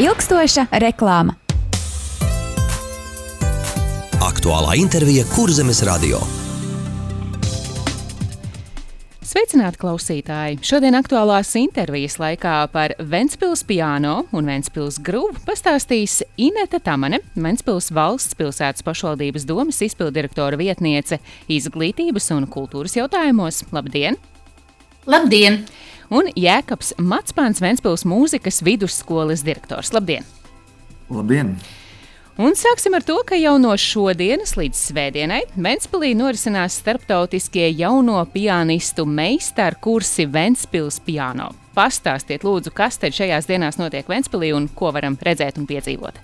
Ilgstoša reklāma. Aktuālā intervija Kurzemes radio. Sveicināti klausītāji! Šodien aktuālās intervijas laikā par Ventspils piano un Ventspils gruvu pastāstīs Inete Tamane, Ventspils valsts pilsētas pašvaldības domes izpilddirektora vietniece izglītības un kultūras jautājumos. Labdien! Labdien! Un Jēkabs Matspāns, Ventspils mūzikas vidusskolas direktors. Labdien! Labdien! Un sāksim ar to, ka jau no šodienas līdz svētdienai Ventspilī norisinās starptautiskie jauno pianistu meistaru kursi Ventspils piano. Pastāstiet lūdzu, kas tad šajās dienās notiek Ventspilī un ko varam redzēt un piedzīvot.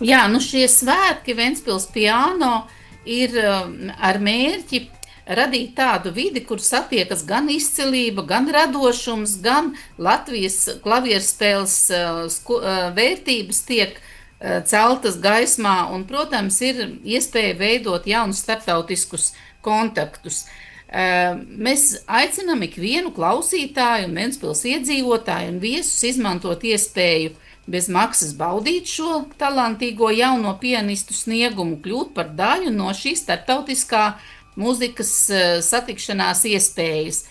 Jā, šie svētki Ventspils piano ir ar mērķi radīt tādu vidi, kur satiekas gan izcilība, gan radošums, gan Latvijas klavierspēles vērtības tiek celtas gaismā un, protams, ir iespēja veidot jaunus starptautiskus kontaktus. Mēs aicinām ikvienu klausītāju un Ventspils iedzīvotāju un viesus izmantot iespēju bez maksas baudīt šo talantīgo jauno pianistu sniegumu, kļūt par daļu no šīs starptautiskā mūzikas satikšanās iespējas.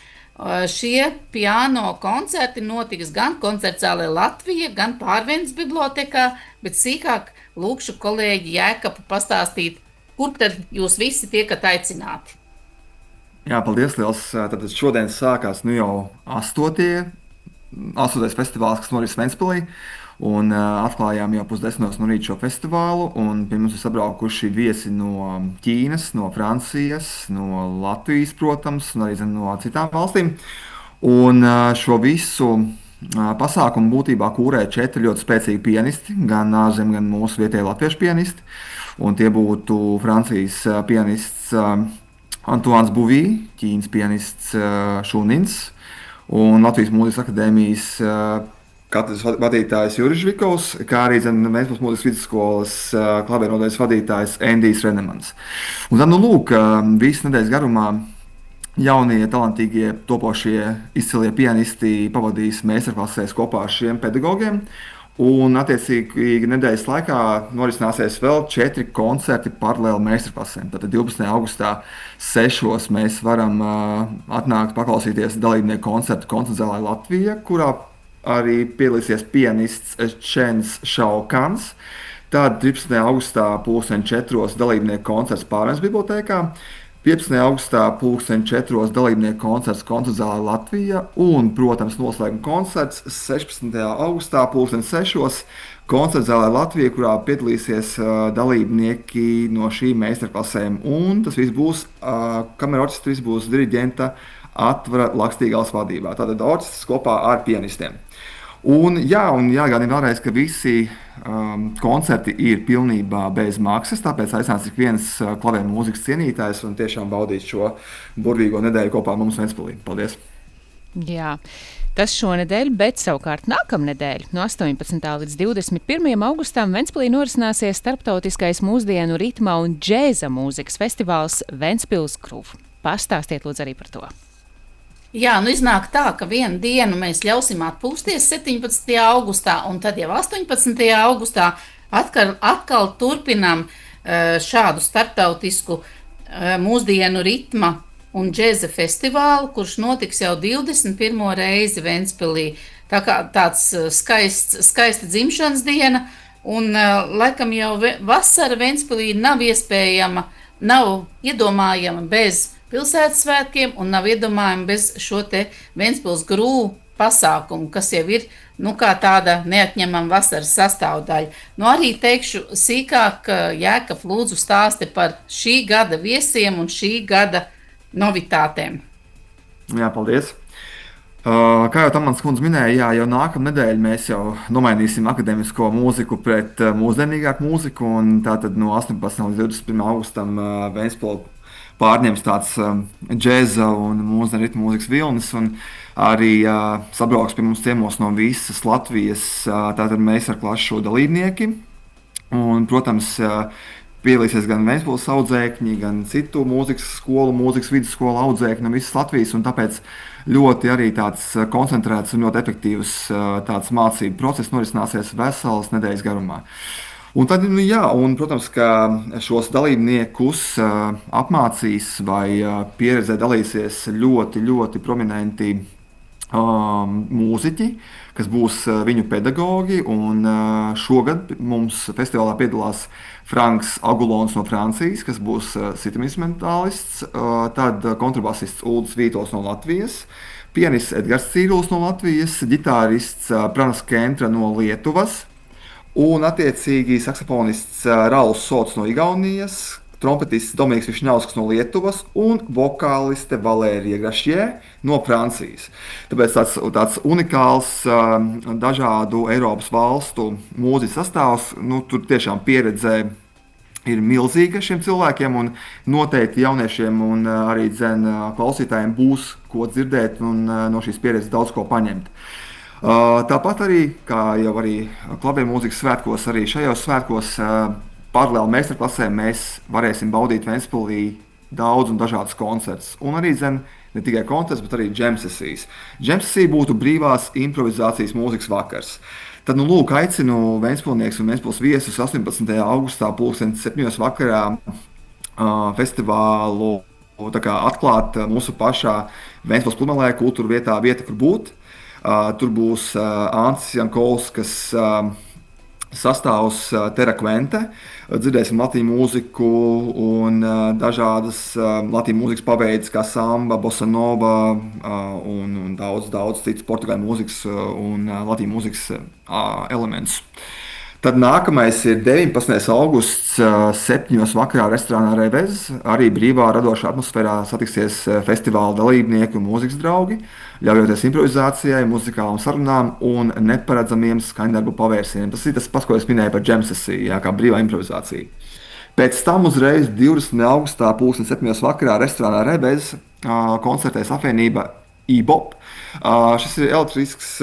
Šie piano koncerti notiks gan koncertzālē Latvija, gan Pārvendes bibliotēkā, bet sīkāk lūkšu kolēģi Jēkabu pastāstīt, kur tad jūs visi tiekat aicināti. Jā, paldies liels. Tad šodien sākās jau 8. festivāls, kas noris Ventspilī. Un atklājām jau 9:30 no rīta šo festivālu, un pie mums ir sabraukuši viesi no Ķīnas, no Francijas, no Latvijas, protams, un arī no citām valstīm. Un šo visu pasākumu būtībā kūrē 4 ļoti spēcīgi pianisti, gan ārzem, gan mūsu vietējie latviešu pianisti. Un tie būtu Francijas pianists Antoine Buvī, Ķīnas pianists Šunins un Latvijas Mūzikas akadēmijas katedras vadītājs Juris Žvikovs, kā arī Ventspils mūzikas vidusskolas klaviernodaļas vadītājs Endijs Renemans. Un tad, visu nedēļas garumā jaunie, talantīgie, topošie, izcilie pianisti pavadīs meistarklasēs kopā ar šiem pedagogiem. Un, attiecīgi, nedēļas laikā norisināsies vēl 4 koncerti paralēli meistarklasēm. Tātad 12. augustā 6. mēs varam atnākt paklausīties dalībnieku koncertu koncertzālē Latvija, kurā arī piedalīsies pianists Čens Šaukans. Tad 13. augustā 4. dalībnieku koncerts Pārvendes bibliotēkā, 15. augustā 4. dalībnieku koncerts koncertzālē Latvija un, protams, noslēguma koncerts 16. augustā 6. koncertzālē Latvija, kurā piedalīsies dalībnieki no šīm meistarklasēm. Un tas viss būs, kamera orķestris būs diriģenta Atvara Lakstīgals vadībā. Tātad orķestris kopā ar pianistiem. Un jāgādina vēlreiz, ka visi koncerti ir pilnībā bez maksas, tāpēc aicināts ik viens klavieru mūzikas cienītājs un tiešām baudīt šo burvīgo nedēļu kopā ar mums Ventspilī. Paldies! Jā. Tas šonedēļ, bet savukārt nākamnedēļ, no 18. līdz 21. augustam Ventspilī norisināsies starptautiskais mūsdienu ritma un džēza mūzikas festivāls Ventspils Groove. Pastāstiet lūdzu arī par to. Jā, iznāk tā, ka vienu dienu mēs ļausim atpūsties 17. augustā, un tad jau 18. augustā atkal turpinām šādu starptautisku mūsdienu ritma un džēza festivālu, kurš notiks jau 21. reizi Ventspilī. Tā kā tāds skaista dzimšanas diena, un laikam jau vasara Ventspilī nav iespējama, nav iedomājama bez pilsētas svētkiem un nav iedomājama bez šo te Ventspils Groove pasākumu, kas jau ir kā tāda neatņemama vasaras sastāvdaļa. Arī teikšu sīkāk, Jēkab, lūdzu stāsti par šī gada viesiem un šī gada novitātēm. Jā, paldies! Kā jau Tamans kundze minēja, jau nākamnedēļ mēs jau nomainīsim akadēmisko mūziku pret mūsdienīgāku mūziku, un tātad no 18. līdz 21. augustam Ventspilī pārņems tāds džēza un mūsdienu ritmu mūzikas vilnis, un arī sabrauks pie mums ciemos no visas Latvijas tātad meistarklašu dalībnieki. Un, protams, piedalīsies gan Ventspils audzēkņi, gan citu mūzikas skolu, mūzikas vidusskolu audzēkņi no visas Latvijas, un tāpēc ļoti arī tāds koncentrēts un ļoti efektīvs tāds mācību process norisināsies veselas nedēļas garumā. Un tad, protams, ka šos dalībniekus apmācīs vai pieredzē dalīsies ļoti, ļoti prominenti mūziķi, kas būs viņu pedagogi, un šogad mums festivālā piedalās Franks Agulons no Francijas, kas būs sitam-instrumentālists, tad kontrabasists Uldis Vītols no Latvijas, pianists Edgars Cīrulis no Latvijas, ģitārists Pranas Kentra no Lietuvas, un attiecīgi saksofonists Rauls Sots no Igaunijas, trompetists Dominiks Višņauskas no Lietuvas un vokāliste Valērija Grašjē no Francijas. Tāpēc tāds unikāls dažādu Eiropas valstu mūzikas sastāvs, tur tiešām pieredze ir milzīga šiem cilvēkiem, un noteikti jauniešiem un arī klausītājiem būs ko dzirdēt un no šīs pieredzes daudz ko paņemt. Tāpat arī, kā jau arī klavieru mūzikas svētkos, arī šajos svētkos paralēli meistarklasēm mēs varēsim baudīt Ventspilī daudz un dažādas koncertus. Un arī ne tikai koncerts, bet arī džem sesijas. Džem sesija būtu brīvās improvizācijas mūzikas vakars. Tad, aicinu Ventspilnieks un Ventspils viesus 18. augustā 7:00 vakarā festivālu atklāt mūsu pašā Ventspils Plumelē kultūra vietā Vieta, kur būt. Tur būs Ancis Jankovskas sastāvs Terra Quente. Dzirdēsim latīņu mūziku un dažādas latīņu mūzikas paveides, kā samba, bossa nova un daudz citas portugāļu mūzikas un latīņu mūzikas elementus. Tad nākamais ir 19. augusts 7:00 vakarā restorānā Revez. Arī brīvā radošā atmosfērā satiksies festivāla dalībnieki un mūzikas draugi, ļaujoties improvizācijai, muzikālām sarunām un neparedzamiem skaņdarbu pavērsieniem. Tas ir tas pats, ko es minēju par džem sesiju, kā brīvā improvizācija. Pēc tam uzreiz 20. augustā 7:00 vakarā restorānā Revez koncertēs apvienība E-Bop. Šis ir elektrisks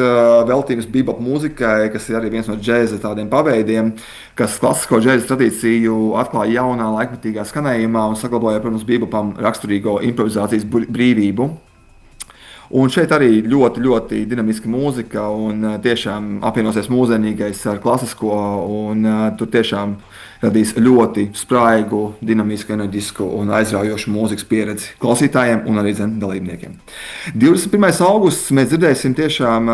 veltījums bebop mūzikai, kas ir arī viens no džēza tādiem paveidiem, kas klasisko džēza tradīciju atklāja jaunā laikmetīgā skanējumā un saglabāja, protams, bebopam raksturīgo improvizācijas brīvību. Un šeit arī ļoti, ļoti dinamiska mūzika un tiešām apvienosies mūsdienīgais ar klasisko, un tur tiešām radīs ļoti spraigu, dinamisku, enerģisku un aizraujošu mūzikas pieredzi klausītājiem un arī dalībniekiem. 21. augusts mēs dzirdēsim tiešām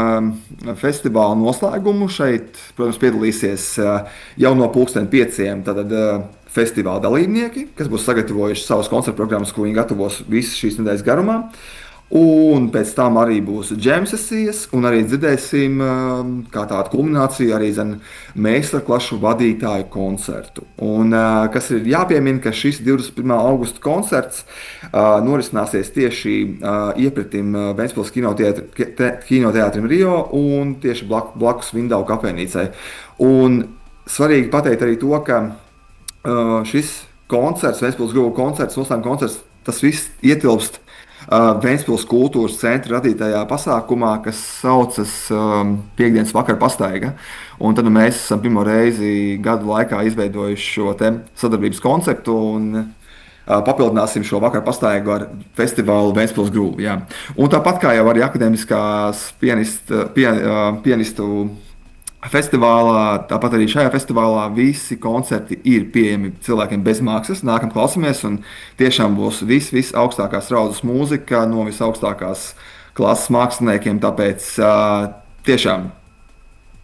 festivāla noslēgumu. Šeit, protams, piedalīsies jau no 5:00 tātad festivāla dalībnieki, kas būs sagatavojuši savas koncertu programmas, ko viņi gatavos visas šīs nedēļas garumā. Un pēc tam arī būs džem sesijas, un arī dzirdēsim kā tādu kulmināciju arī meistarklašu vadītāju koncertu. Un, kas ir jāpiemina, ka šis 21. augusta koncerts norisināsies tieši iepratim Ventspils kinoteātrim Rio un tieši blakus Vindaugu kafejnīcai. Un svarīgi pateikt arī to, ka šis koncerts, Ventspils Gruvu koncerts, noslēguma koncerts, tas viss ietilpst Ventspils kultūras centra radītajā pasākumā, kas saucas Piektdienas vakara pastaiga. Un tad mēs esam pirmo reizi gadu laikā izveidojuši šo sadarbības konceptu un papildināsim šo vakaru pastaigu ar festivālu Ventspils Groove. Jā. Un tāpat kā jau arī akadēmiskās pianistu festivālā, tāpat arī šajā festivālā visi koncerti ir pieejami cilvēkiem bez maksas. Nākam klausāmies, un tiešām būs viss augstākās raudzes mūzika no visaugstākās klases māksliniekiem. Tāpēc tiešām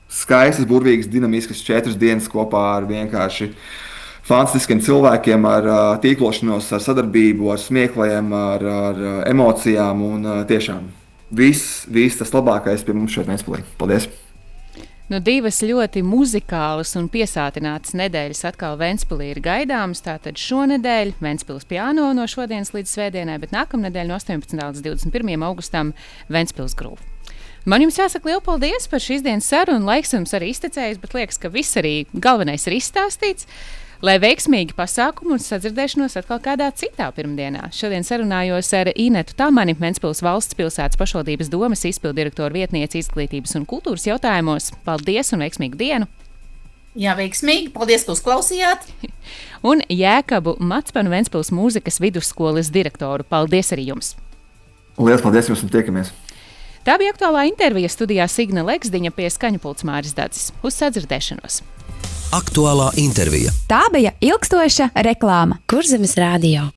skaistas, burvīgas, dinamiskas 4 dienas kopā ar vienkārši fantastiskiem cilvēkiem, ar tīklošanos, ar sadarbību, ar smiekliem, ar emocijām. Un tiešām viss tas labākais pie mums šeit Ventspilī. Paldies! Divas ļoti muzikālas un piesātinātas nedēļas atkal Ventspilī ir gaidāmas. Tātad šonedēļ Ventspils piano no šodienas līdz svētdienai, bet nākamnedēļ no 18. līdz 21. augustam Ventspils Groove. Man jums jāsaka lielu paldies par šīs dienas sarunu. Laiks jums arī iztecējis, bet liekas, ka viss arī galvenais ir izstāstīts. Lai veiksmīgi pasākumu un sadzirdēšanos atkal kādā citā pirmdienā. Šodien sarunājos ar Inetu Tamani, Ventspils valsts pilsētas pašvaldības domes izpildirektora vietniece izglītības un kultūras jautājumos. Paldies un veiksmīgu dienu! Jā, veiksmīgi. Paldies, ka uzklausījāt. Un Jēkabu Matspanu Ventspils mūzikas vidusskolas direktoru. Paldies arī jums! Lielas paldies jums un tiekamies! Tā bija aktuālā intervija, studijā Signe Leksdiņa, pie skaņu pults Māris Dadzis. Uz sadzirdēšanos! Aktuālā intervija. Tā bija ilgstoša reklāma. Kurzemes radio.